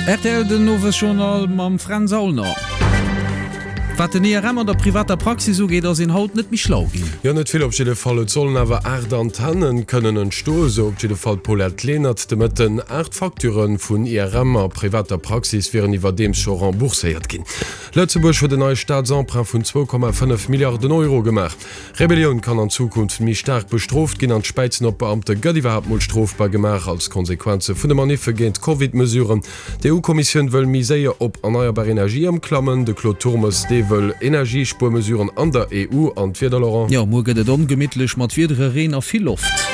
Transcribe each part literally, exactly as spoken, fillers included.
Rtl den Owesjournal mam Fränz Aulner. Wat den I R M an der privater Praxis ugeet, ass een haut net méi schlau ginn. Jo, net vill op jidde Fall. Et sollen awer aacht Antennen kënnen entstoen, sou op jidde Fall d'Paulette Lenert de Mëtten. Aacht Facturë vun I R M a privater Praxis wieren iwwerdeems scho rembourséiert ginn. Lëtzebuerg huet en neie Staatsemprunt vun zwou Komma fënnef Milliarden Euro gemaach. Rebellioun kann an Zukunft méi staark bestrooft ginn an d'Späizen op Beamte gëtt iwwerhaapt mol strofbar gemaach als Konsequenze vun de Maniffe géint d'Covid-Mesuren. D'E U-Kommissioun wëll méi séier op erneierbar Energie ëmklammen. De Claude Turmes, dee wëll Energiespuermesuren an der E U an d'Wieder, Laurent. Jo, muer gëtt et ongemittlech mat Wiedere, Reen a vill Loft.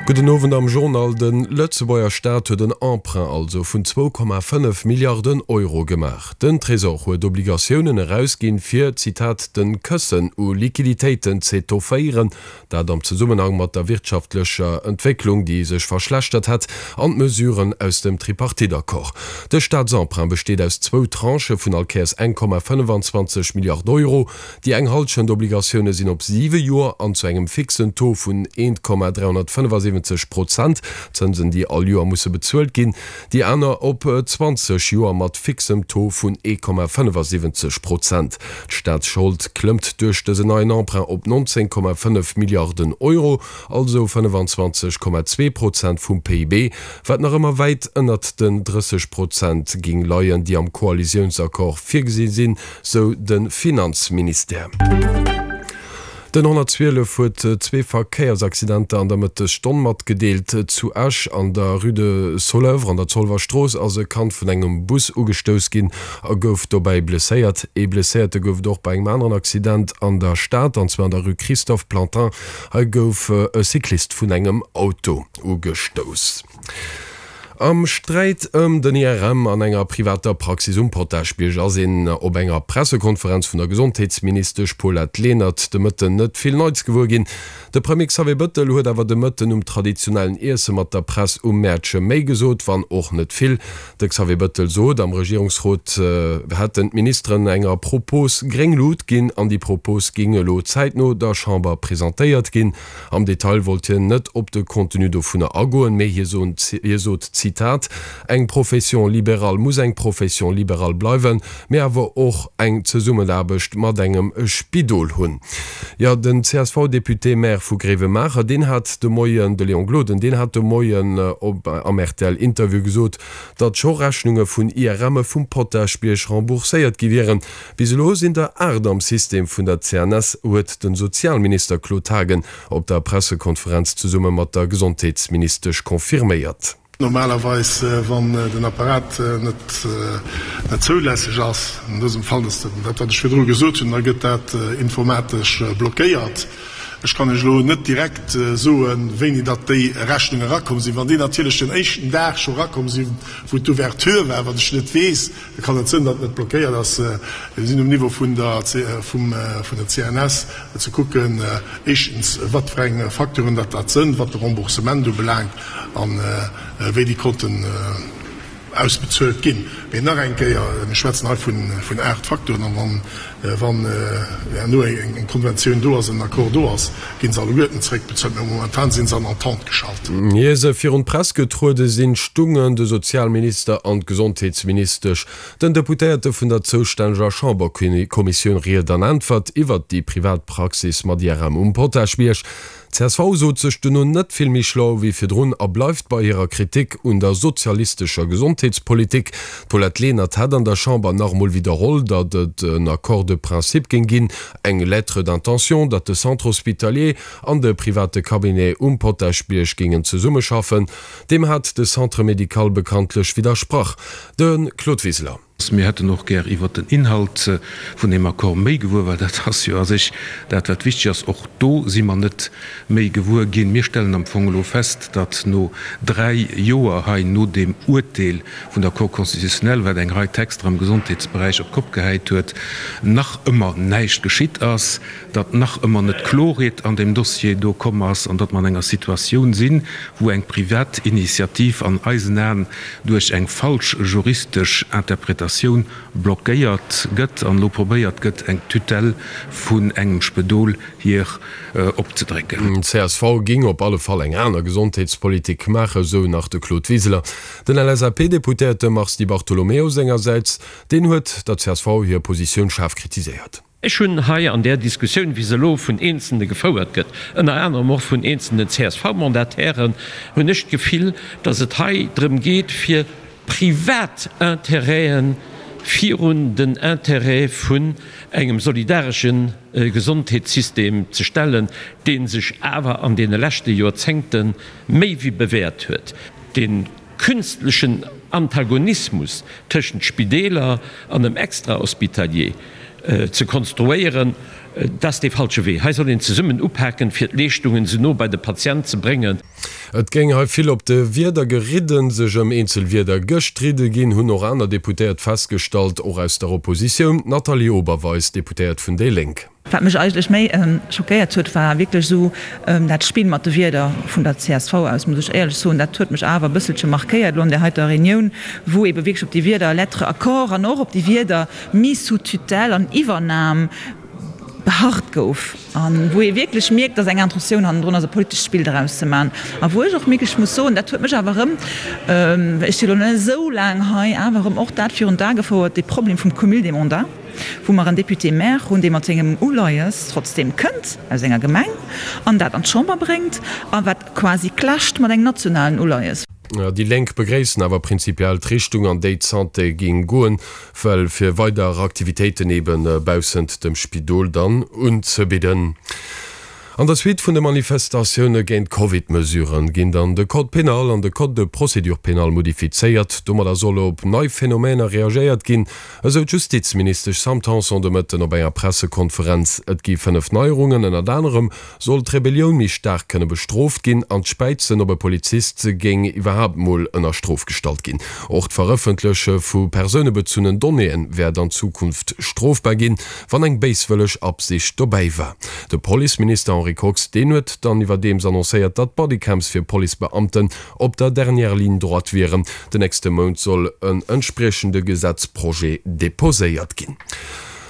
Gudden Owend am Journal. De Lëtzebuerger Staat huet en Emprunt also vun zwou Komma fënnef Milliarden Euro gemaach. Den Trésor huet Obligatiounen erausginn, fir, Zitat, den Këssen u Liquiditéiten z'étofféieren, dat am Zesummenhang mat der wirtschaftlecher Entwécklung, déi sech verschlechtert hätt, an d'Mesuren aus dem Tripartite-Accord. De Staatsemprunt besteet aus zwou Tranchë vun all Kéiers eng Komma fënnefenzwanzeg Milliard Euro. Déi eng Hallschent Obligatioune sinn op siwe Joer an zu engem fixen Taux vun eent Komma dräihonnertfënnefasiwwenzeg Prozent, Zënsen déi all Joer musse bezuelt ginn, déi aner op zwanzeg Joer mat fixem Taux vun ee Komma fënnefasiwwenzeg Prozent. D'Staatsschold klëmmt duerch dësen neien Emprunt op nonzéng Komma fënnef Milliarden Euro, also fënnefenzwanzeg Komma zwee Prozent vum P I B, wat nach ëmmer wäit ënnert den drësseg Prozent géing leien, déi am Koalitiounsaccord virgesi sinn, sou de Finanzministère. Den honnertzwielef huet zwee Verkéiersaccidenter an der Mëttesstonn matgedeelt. Zu Esch an der Rue de Soleuvre an der Zolwer Strooss ass e Kand vun engem Bus ugestouss ginn a gouf dobäi blesséiert. Ee Blesséierte gouf et och bei engem aneren Accident an der Stad, an zwar an der Rue Christophe Plantin. Hei gouf e Cyclist vun engem Auto ugestouss. Am Sträit ëm den I R M an enger privater Praxis um Potaschbierg ass een op enger Pressekonferenz vun der Gesondheetsministesch Paulette Lenert de Mëtten net vill Neits gewuer ginn. De Premier Xavier Bëttel huet awer de Mëtten um traditionellen Iesse mat der Press um Mäertche méi gesot, wann och net vill. De Xavier Bëttel sot, am Regierungsrot hätten d'Ministeren enger Propos gréng Lut ginn an déi Propos géing elo zäitno der Chamber presentéiert ginn. Am Detail wollt hien net op de Contenu dovunner agoen, mee hie sot, Zitat, Eng Profession libérale muss eng Profession libérale bleiwen, mee awer och eng Zesummenaarbecht mat engem Spidol hunn. Jo, den C S V-Député-Maire vu Gréiwemaacher, deen hat de Moien, de Léon Gloden, deen hat de Moien op am R T L-Interview gesot, datt scho Rechnunge vun I R Mme vum Potaschbierg rembourséiert gi wieren. Bis elo sinn der aacht am System vun der C N S, huet de Sozialminister Claude Haagen op der Pressekonferenz zesumme mat der Gesondheetsministesch confirméiert. Normalerweis, wann den Apparat net net zoulässeg ass, an dësem Fall ass dat dat, wat ech virdru gesot hunn, da gëtt dat informatesch blockéiert. Ech kann Iech elo net direkt soen, wéini datt déi Rechnunge erakomm sinn. Wann déi natierlech den éischten Dag scho erakomm sinn, wou d'Ouverture war, wat ech net weess, da kann et sinn, datt et net blockéiert ass. Mir sinn um Niveau vun der vum vun der C N S ze kucken, éischtens, wat fir eng Facturen dat dat sënn, wat de Remboursement ubelaangt an wéi déi konnten ausbezuelt ginn. Mee nach eng Kéier, mir schwätzen hei vun vun aacht Facturen an wann wann herno eng Konventioun do ass, en Accord do ass, ginn se alleguerten zeréckbezuelt. Mee momentan si se an Entente geschalt. Ier se virun d'Press getruede sinn, stungen de Sozialminister an d'Gesondheetsministesch den Deputéierte vun der zoustänneger Chamberkommissioun Ried an Äntwert iwwert déi privat Praxis mat I R M um Potaschbierg. D C S V sot sech duerno net vill méi schlau wéi virdrun a bleift bei hirer Kritik un der sozialistescher Gesondheetspolitik. D'Paulette Lenert hat an der Chamber nach emol widderholl, datt et en Accord de principe géing ginn, eng Lettre d'intention, datt de Centre hospitalier an de private Cabinet um Potaschbierg géingen zesummeschaffen. Deem hat de Centre médical bekanntlech widdersprach. De Claude Wiseler. Mir hätten och gär iwwert den Inhalt vun deem Accord méi gewuer, well dat ass jo a sech dat, wat wichteg ass. Och do si mer net méi gewuer ginn. Mir stellen am Fong elo fest, datt no dräi Joer hei, no deem Uerteel vun der Cour constitutionnelle, wat eng Rei Texter am Gesondheetsberäich op d'Kopp gehäit huet, nach ëmmer näischt geschitt ass, datt nach ëmmer net Klorheet an deem Dossier do komm ass an datt mer an enger Situatioun sinn, wou eng privat Initiativ an eisen Aen duerch eng falsch juristesch Interpretatioun Concertatioun blockéiert gëtt an elo probéiert gëtt, eng Tutelle vun engem Spedol hier opzedrécken. Csv géing op alle Fall eng aner Gesondheetspolitik maachen, esou nach de Claude Wiseler. Den L S A P-Deputéierte Mars Di Bartolomeo sengersäits, deen huet der C S V hir Positioun schaarf kritiséiert. Ech hunn hei an där Diskussioun, wéi se elo vun Eenzelne gefouert gëtt, ënner anerem och vun eenzelnen C S V-Mandatairen, hunn ech d'Gefill, datt et hei drëm geet, fir privat Intérêten virun den Intérêt vun engem solidaresche Gesondheetssystem ze stellen, dee sech awer an deene leschte Joerzéngte méi wéi bewäert huet. Dee künstlechen Antagonismus tëschent Spideeler an dem Extrahospitalier ze konstruéieren, dat ass dee falsche Wee. Hei soll een zesummen upaken, fir d'Leeschtungen esou no bei de Patient ze bréngen. Et géing hei vill op de Wierder geridden, sech ëm eenzel Wierder gestridde ginn, hunn och aner Deputéiert festgestallt, och aus der Oppositioun, d'Nathalie Oberweis, Deputéiert vun déi Lénk. Wat mech eigentlech méi schockéiert huet, war wierklech esou dat Spill mat de Wierder vun der C S V aus, muss ech éierlech soen. Dat huet mech awer e bësselche markéiert elo an där heiter Reunioun, wou eebe wierklech op déi Wierder lettre accord an och op déi Wierder mise sous tutelle an Iwwernam beharrt gouf a wou ee wierklech mierkt, dass eng Intentioun hannendrun ass, e politescht Spill doraus ze maachen. A wou ech och wierklech muss soen, dat huet mech awer erëm, ech si elo net esou laang hei, awer erëm och dat virun d'A gefouert, dee Problem vum Cumul des mandats, wou mer en Député-maire hunn, dee mat sengem Uleies trotzdem kënnt aus enger Gemeng an dat an d'Chamber bréngt a wat quasi clasht mat engem nationalen Uleies. Déi Lénk begréissen awer prinzipiell d'Richtung, an déi d'Santé géing goen, well fir weider Aktivitéiten ebe baussent dem Spidol dann unzebidden. An der Suite vun de Manifestatioune géint d'Covid-Mesuren ginn dann de Code pénal an de Code de procédure pénale modifizéiert. Domadder soll op nei Phänomener reagéiert ginn, esou d'Justizministesch Sam Tanson de Mëtten op enger Pressekonferenz. Et gi fënnef Neierungen, ënnert anerem soll d'Rebellioun méi staark kënne bestrooft ginn an d'Späizen op e Polizist géing iwwerhaapt mol ënner Strof gestallt ginn. Och d'Verëffentleche vu persounebezunnen Donnéeë wäert an Zukunft strofbar ginn, wann eng béiswëlleg Absicht dobäi war. De Policeminister Henri Kox, deen huet dann iwwerdeems annoncéiert, datt Bodycams fir Policebeamten op der dernière ligne droite wieren. Den nächste Mount soll en entspriechende Gesetzprojet deposéiert ginn.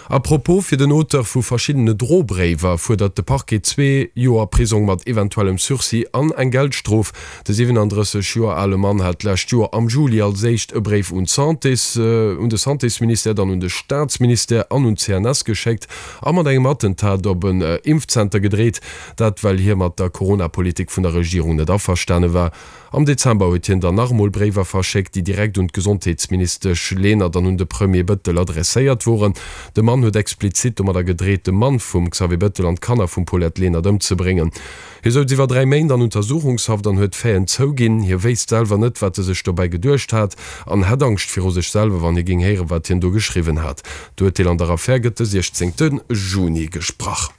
A propos, fir den Auteur vu verschiddene Drobréiwer fuerdert de Parquet zwee Joer Prisong mat eventuellem Sursis an eng Geldstrof. De siwenandrësseg Joer ale Mann hat d'lescht Joer am Juli als éischt e Bréif un d'Santés, un de Santésministère, dann un de Staatsministère an un d'C N S geschéckt a mat engem Attentat op en Impfzenter gedreet. Dat well hie mat der Corona-Politik vun der Regierung net averstane war. Am Dezember huet hien dann nach emol Bréiwer verschéckt, déi direkt un d'Gesondheetsministesch Lenert an un de Premier Bëttel adresséiert woren. De Mann huet explizit domadder gedreet, de Mann vum Xavier Bëttel an d'Kanner vum Paulette Lenert ëmzebréngen. Hie souz iwwer dräi Méint an Untersuchungshaft an huet d'Faiten zouginn. Hie wéisst selwer net, wat e sech dobäi geduecht hat an hätt Angscht viru sech selwer, wann hie géing héieren, wat hien do geschriwwen hat. D'Urteel an der Affär gëtt de siechzéngte Juni gesprach.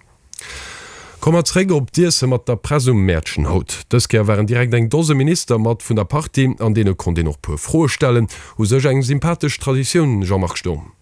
Komme mer zréck op d'Iesse mat der Press um Mäertchen haut. Dës Kéier waren direkt eng Dose Minister mat vun der Partie, an deene konnt een och puer Froe stellen. U sech eng sympathesch Traditioun, Jean-Marc Sturm.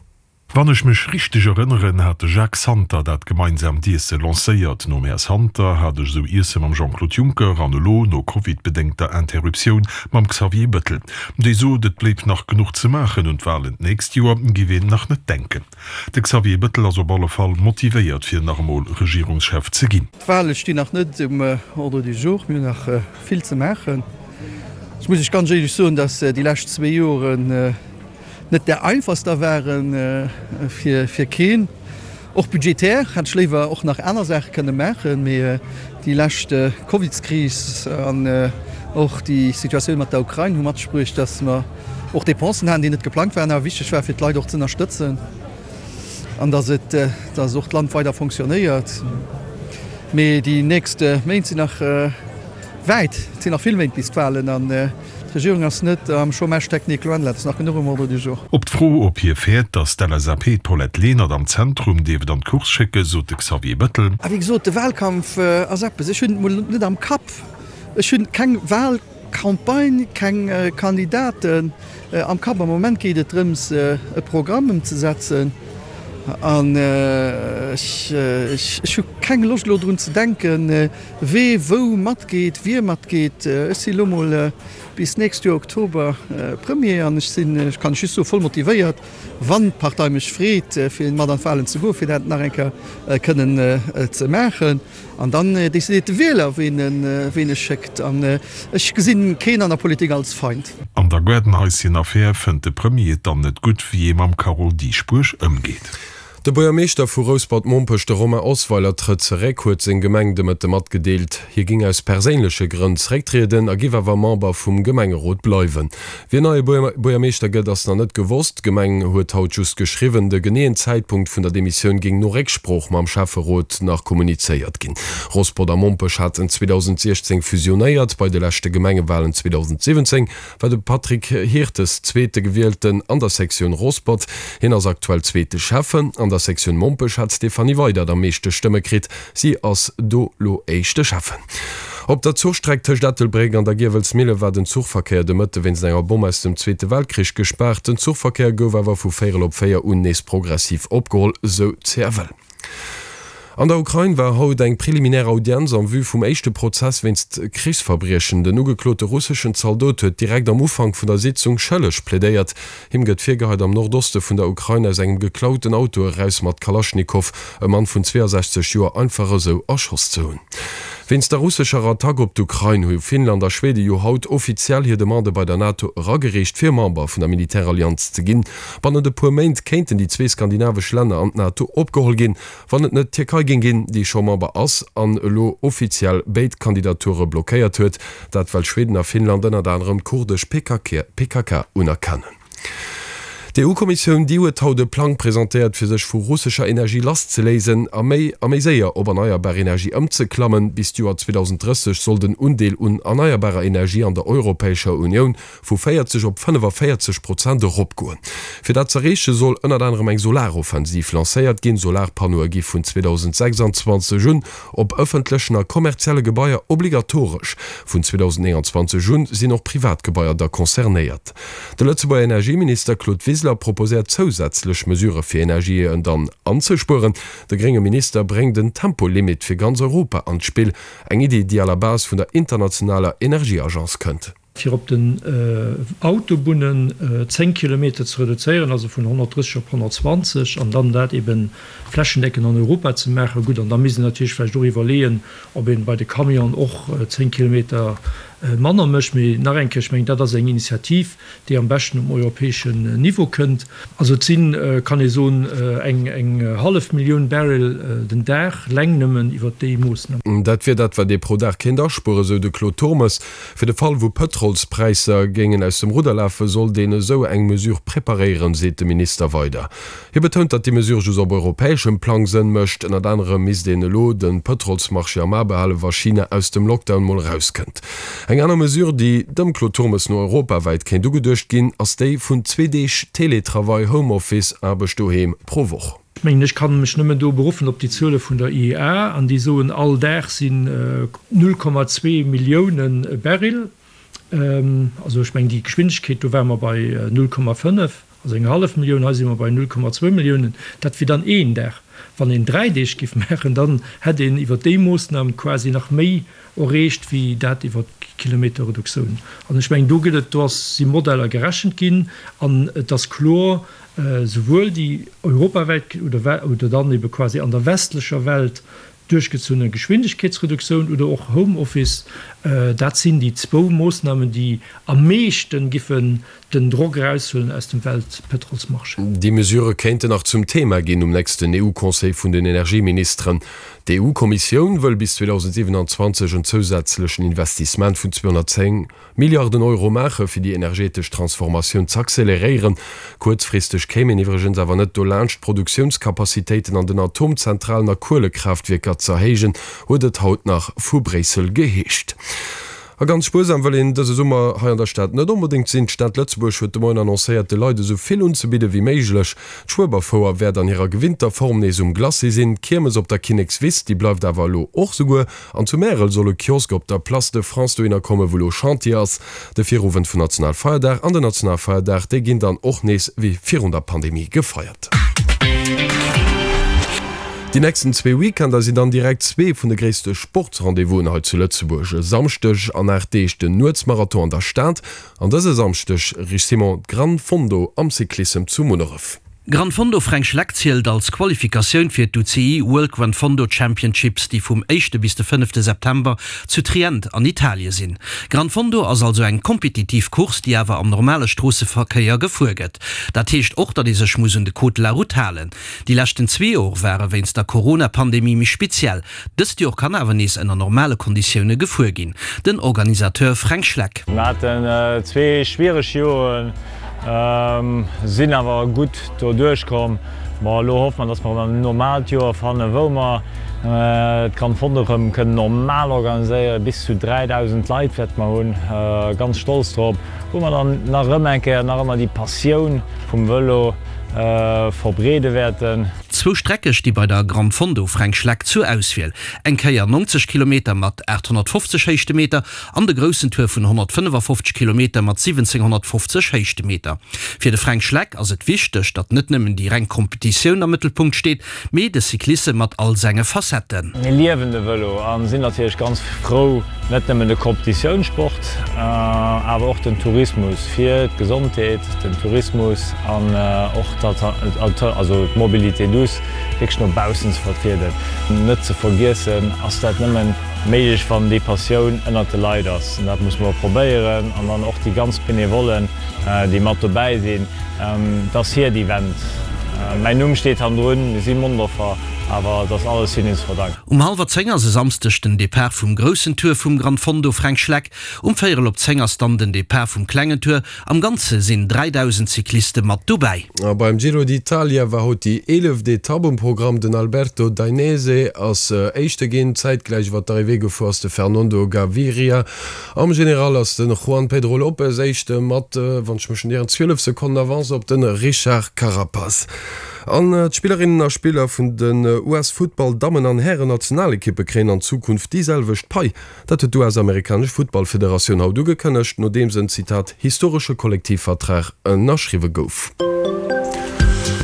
Wann ech mech richteg erënneren, hat de Jacques Santer dat gemeinsaamt Iesse lancéiert. Nom Här Santer hat ech esou Iesse mam Jean-Claude Juncker an elo, no Covid-bedéngter Interruptioun, mam Xavier Bëttel. Dee sot, et bléif nach genuch ze maachen, un d'Walen d'nächst Joer géif een nach net denken. De Xavier Bëttel ass op alle Fall motivéiert, fir nach emol Regierungschef ze ginn. D'Wale stinn nach net um Ordre du jour, mir hunn nach vill ze maachen. Ech muss Iech ganz éierlech soen, datt déi lescht zwee Joren net där einfachster waren, fir fir keen. Och budgetär hätt ech léiwer och nach aner Saache kënne maachen, mee déi lescht Covidskris an och déi Situatioun mat der Ukrain hu mat sech bruecht, datt mer och Dépensen haten, déi net geplangt waren, awer wichteg war fir d'Leit och z'ënnerstëtzen an datt et datt och d'Land weider fonctionnéiert. Mee déi nächst Méint sinn nach wäit, et sinn nach vill Méint bis d'Walen an d'Regierung ass net am Chômage technique, loin de là, et ass nach genuch um Ordre du jour. Op d'Fro, ob hie fäert, datt d'L S A P d'Paulette Lenert am Zentrum dierft an d'Course schécken, sot de Xavier Bettel. A wéi gesot, de Wahlkampf ass eppes, ech hunn et mol net am Kapp. Ech hunn keng Wahlcampagne, keng Kandidaten am Kapp. Am Moment geet et drëms, e Programm ëmzesetzen. An ech hu keng Loscht elo drun ze denken, wee wou matgeet, wie matgeet. Ech si lo mol bis d'nächst Joer Oktober Premier an ech sinn, ech kann just soen, voll motivéiert, wann d'Partei mech freet, fir mat an d'Wahlen ze goen, fir dat nach eng Kéier kënnen ze maachen. An dann decidéiert de Wieler, ween e schéckt. An ech gesinn keen an der Politik als Feind. An der Gaardenhaischen-Affär fënnt de Premier et dann net gutt, wéi ee mam Carole Dieschbourg ëmgeet. De Buergermeeschter vu Rouspert-Mompech, de Romain Osweiler, trëtt zeréck, huet seng Gemeng de Mëtte matgedeelt. Hie géing aus perséinleche Grënn zerécktrieden a giff awer Member vum Gemengerot bleiwen. Wien neie Buergermeeschter gëtt, ass nach net gewosst. D'Gemeng huet haut just geschriwwen, de geneeën Zäitpunkt vun der Demissioun géing no Récksprooch mam Schäfferot nach kommunizéiert ginn. Rosport a Mompech haten zweedausendsiechzéng fusionéiert. Bei de leschte Gemengewalen zweedausendsiwwenzéng war de Patrick Hirtes zweete Gewielten an der Sektioun Rosport. Hien ass aktuell zweete Schäffen. An der Sektioun Mompech hat d'Stéphanie Weydert am meeschte Stëmme kritt. Si ass do lo éischte Schäffen. Op der Zuchstreck tëscht Ettelbréck an der Giewelsmille war den Zuchverkéier de Mëtte wéinst enger Bomm aus dem Zweete Weltkrich gespaart. Den Zuchverkéier gouf awer vu véierel op véier un nees progressiv opgeholl, sou d'CFL. An der Ukrain war haut eng preliminär Audienz en vue vum éischte Prozess wéinst Krichsverbriechen. Den ugeklote russeschen Zaldot huet direkt am Ufank vun der Sitzung schëlleg plädéiert. Him gëtt virgeheit, am Nordoste vun der Ukrain aus engem geklauten Auto eraus mat Kalaschnikow e Mann vun zweeasechzeg Joer einfach esou erschoss ze hunn. Wéinst der russescher Attack op d'Ukrain hu Finnland a Schwede jo haut offiziell hir Demande bei der NATO eragereecht, fir Member vun der Militärallianz ze ginn. Bannent e puer Méint kéinten déi zwee skandinavesch Länner an d'NATO opgeholl ginn, wann et net d'Tierkei géing ginn, déi scho Member ass an elo offiziell béid Kandidature blockéiert huet. Dat well Schweden a Finnland ënnert anerem d'kurdesch P K K unerkennen. D'E U-Kommissioun, déi huet haut e Plang presentéiert, fir sech vu russescher Energie lasszeléisen a méi a méi séier op erneierbar Energie ëmzeklammen. Bis d'Joer zweedausendrësseg soll den Undeel un erneierbarer Energie an der Europäescher Unioun vu véierzeg op fënnefavéierzeg Prozent eropgoen. Fir dat z'erreeche soll ënnert anerem eng Solaroffensiv lancéiert ginn. Solarpannoe gi vun zweedausendsechsanzwanzeg un op ëffentlechen a kommerzielle Gebaier obligatoresch. Vun zweedausendnénganzwanzeg un sinn och privat Gebaier da concernéiert. De Lëtzebuerger Energieminister Claude Wiseler proposéiert zousätzlech Mesurë fir Energie dann anzespueren. De grénge Minister bréngt en Tempolimit fir ganz Europa an d'Spill, eng Iddi, déi à la base vun der internationaler Energieagence kënnt. Fir op den Autobunnen zéng Kilometer ze reduzéieren, also vun honnertdrësseg op honnertzwanzeg, an dann dat ebe flächendeckend an Europa ze maachen. Gutt, an da misst een natierlech vläicht och iwwerleeën, ob een bei de Camionen och zéng Kilometer manner mécht. Mee nach eng Kéier, ech mengen, dat ass eng Initiativ, déi am beschten um europäeschen Niveau kënnt. Also et sinn, kann ee soen, eng eng hallef Millioun Barrel den Dag, leng nëmmen iwwert déi Moossnam. Dat wier dat, wat ee pro Dag kéint aspueren, esou de Claude Turmes. Fir de Fall, wou Pëtrolspräisser géingen aus dem Rudder lafen, sollt een esou eng Mesure preparéieren, seet de Minister weider. Hie betount, datt déi Mesure just op europäeschem Plang Sënn mécht. Ënnert anerem misst een elo de Pëtrolsmarché am A behalen, wa China aus dem Lockdown mol erauskënnt. Eng aner Mesure, déi dem Claude Turmes no europawäit kéint ugeduecht ginn, ass déi vun zwee Deeg Teletravail, Homeoffice, Aarbecht doheem, pro Woch. Ech mengen, ech kann mech nëmmen do beruffen op déi Zuele vun der I E A, an déi soen, all Dag sinn null Komma zwee Millioune Barrel. Also ech mengen, déi Geschwindegkeet, do ware mer bei null Komma fënnef, also eng hallef Millioun, hei si mer bei null Komma zwou Milliounen. Dat wier dann een Dag. Wann een dräi Deeg géif maachen, dann hätt een iwwer déi Moossnam quasi nach méi erreecht wéi dat iwwer d'Kilometerreduktioun. An ech mengen, do gëtt et, do ass, si Modeller gerechent ginn an et ass kloer, souwuel déi europawäit oder oder dann ebe quasi an der westlecher Welt duerchgezunne Geschwindegkeetsreduktioun oder och Homeoffice, dat sinn déi zwou Moossnamen, déi am meeschten giffen den Drock eraushuelen aus dem Weltpëtrolsmarché. Déi Mesurë kéinten nach zum Thema ginn um nächsten E U-Conseil vun den Energieministeren. D'E U-Kommissioun wëll bis zweedausendsiwenanzwanzeg en zousätzlechen Investissement vun zweehonnertzéng Milliarden Euro maache fir déi energetesch Transformatioun z'acceleréieren. Kuerzfristeg kéim een iwwregens awer net dolaanscht d'Produktiounskapazitéiten an den Atomzentralen a Kuelekraaftwierker z'erhéijen, huet et haut nach vu Bréissel geheescht. A ganz spuersam wëll een dëse Summer hei an der Stad net onbedéngt sinn. D'Stad Lëtzebuerg huet de Moien annoncéiert, de Leit esou vill unzebidde wéi méiglech. D'Schueberfouer wäert an hirer gewinnter Form nees um Glacis sinn. D'Kiermes op der Kinnekswiss, déi bleift awer elo och souguer. An zu Märel soll e Kiosk op der Place de France dohinner kommen, wou elo Chantier ass. De Virowend vun Nationalfeierdag an den Nationalfeierdag, déi ginn dann och nees wéi virun der Pandemie gefeiert. Déi nächsten zwee Weekender sinn dann direkt zwee vun de gréisste Sportsrendez-vousen hei zu Lëtzebuerg. E Samschdeg an aacht Deeg den Nuetsmarathon an der Stad an dëse Samschdeg, Rich Simon, d'Gran Fondo am Cyclissem zu Munneref. Gran Fondo Fränk Schleck zielt als Qualifikatioun fir d'UCI World Gran Fondo Championships, déi vum éischte bis de fënnefte September zu Trient an Italie sinn. Gran Fondo ass also eng kompetitiv Course, déi awer am normale Stroosseverkéier gefuer gëtt. Dat heescht och, datt ee sech muss un de Code de la Route halen. Déi leschten zwee Jor ware wéinst der Corona-Pandemie méi speziell. Dëst Jor kann awer nees ënner normale Konditioune gefuer ginn. Den Organisateur Fränk Schleck. Mir haten zwee schwiereg Joren. Sinn awer gutt do duerchkomm. Bon, elo hoffe mer, dass mer erëm en normaalt Joer fannen, wou mer d'Gran Fondo erëm kënnen normal organiséieren. Bis zu dräidausend Leit wäerte mer hunn, ganz stolz drop, wou mer dann nach erëm eng Kéier nach ëmmer déi Passioun vum Vëlo verbreede wäerten. Zwou Strecke sti bei der Gran Fondo Fränk Schleck zur Auswiel, eng Kéier neunzeg Kilometer mat aathonnertfofzeg Héichtemeter an de groussen Tour vun honnertfënnefafofzeg Kilometer mat siwwenzénghonnertfofzeg Héichtemeter. Fir de Fränk Schleck ass et wichteg, datt net nëmmen déi reng Kompetitioun am Mëttelpunkt steet, mee de Cyclissem mat all senge Facetten. Mir liewen de Vëlo a sinn natierlech ganz frou, net nëmmen de Kompetitiounssport, awer och den Tourismus fir d'Gesondheet, den Tourismus an och also d'Mobilité douce wierklech no baussen ze vertrieden. Net ze vergiessen ass dat nëmmen méiglech, wann déi Passioun ënnert de Leit ass. An dat musse mer probéieren an dann och déi ganz Benevollen, déi mat dobäi sinn, et ass hiert Event. Mäin Numm steet hannendrun, mir si Mondorfer, awer et ass alles hinnen ze verdanken. Um hallwer zéng ass e Samsdeg den Depart vum groussen Tour vum Gran Fondo Fränk Schleck. Um véierel op zéng ass dann den Depart vum klengen Tour. Am Ganze sinn dräidausend Cycliste mat dobäi. A beim Giro d'Italia war haut déi eeleft Etapp um Programm. Den Alberto Dainese ass Éischte ginn. Zäitgläich iwwer d'Arrivée gefuer ass de Fernando Gaviria. Am General ass de Juan Pedro Lopez Éischte mat, wann ech mech net ieren, zwielef Sekonnen Avance op de Richard Carapaz. An d'Spillerinnen a Spiller vun den U S-Futtball-Dammen an Hären-Nationalekippe kréien an Zukunft déi selwecht Pai. Dat huet d'U S-amerikanesch Futtballfederatioun haut ugekënnegt, nodeems en, Zitat, historesche Kollektivvertrag ënnerschriwwe gouf.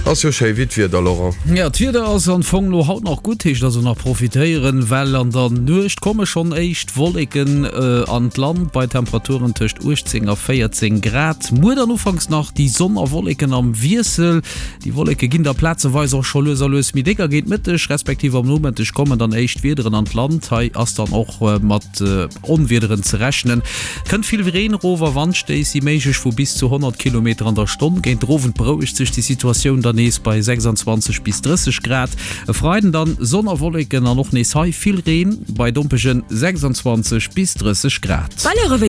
Ass jo schéi wéi d'Wieder, Laurent. Jo, d'Wieder ass am Fong lo haut nach gutt, heescht also nach profitéieren, well an der Nuecht komme schonn éischt Wolleken an d'Land bei Temperaturen tëscht uechtzéng a véierzéng Grad. Muer dann ufanks nach déi Sonn a Wolleken am Wiessel. Déi Wolleke ginn da plazeweis och scho lues a lues méi déck a géint Mëtteg respektiv am Nomëtteg kommen dann éischt Wiederen an d'Land. Hei ass dann och mat Onwiederen ze rechnen. Kënnt vill Reen erof a Wandstéiss si méiglech vu bis zu honnert Kilometer an der Stonn. Géint den Owend berouegt sech déi Situatioun dann nees bei sechsundzwanzeg bis drësseg Grad. E Freiden dann Sonn a Wolleken an och nees hei vill Reen bei dompege sechsundzwanzeg bis drësseg Grad.